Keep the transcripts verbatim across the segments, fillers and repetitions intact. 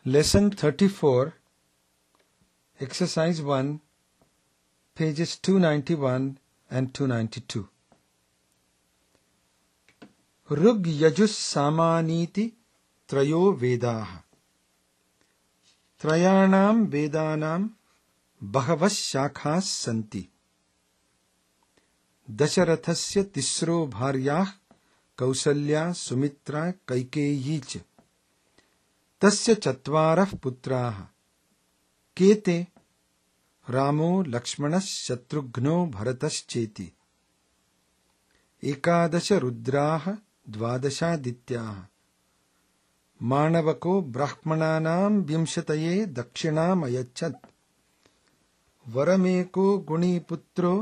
Lesson thirty-four, Exercise one, pages two ninety-one and two ninety-two. Rug Yajus Samaniti Trayo Vedaha. Trayanam Vedanam Bahavas Shakhas Santi. Dasharathasya Tisro Bharyah Kausalya Sumitra Kaikeyi च तस्य चत्वारः पुत्राः केते रामो लक्ष्मणः शत्रुघ्नो भरतश्चेति एकादश रुद्राः द्वादशादित्याः माणवको ब्राह्मणानां विंशतये दक्षिणामयच्छत् वरमेको गुणीपुत्रो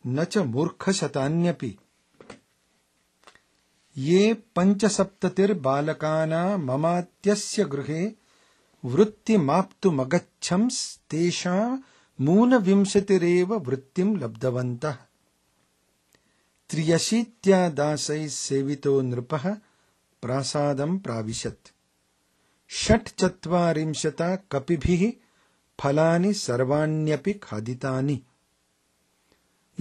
न च मूर्खशतान्यपि ये पञ्चसप्ततिर्बालकाना ममात्यस्य गृहे वृत्तिमाप्तुमगच्छंस्तेषामूनविंशतिरेव वृत्तिं लब्धवन्तः त्र्यशीत्या दासैः सेवितो नृपः प्रासादं प्राविशत् षट्चत्वारिंशता कपिभिः फलानि सर्वाण्यपि खादितानि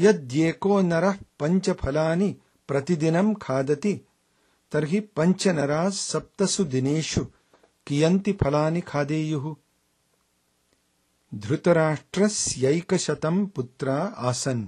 यद्येको नरः पञ्चफलानि प्रतिदिनं खादति तर्हि पञ्चनराः सप्तसु दिनेषु कियन्ति फलानि खादेयुः। धृतराष्ट्रस्यैकशतं पुत्रा आसन्